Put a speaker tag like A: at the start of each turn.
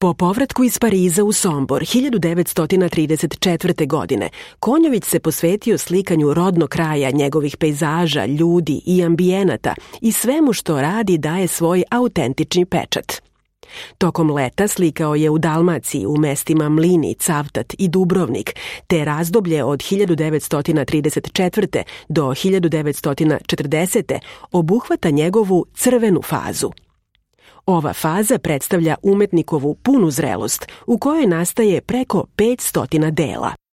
A: Po povratku iz Pariza u Sombor 1934. godine, Konjović se posvetio slikanju rodnog kraja, njegovih pejzaža, ljudi i ambijenata i svemu što radi daje svoj autentični pečat. Tokom leta slikao je u Dalmaciji u mestima Mlini, Cavtat i Dubrovnik, te razdoblje od 1934. do 1940. obuhvata njegovu crvenu fazu. Ova faza predstavlja umetnikovu punu zrelost u kojoj nastaje preko 500 dela.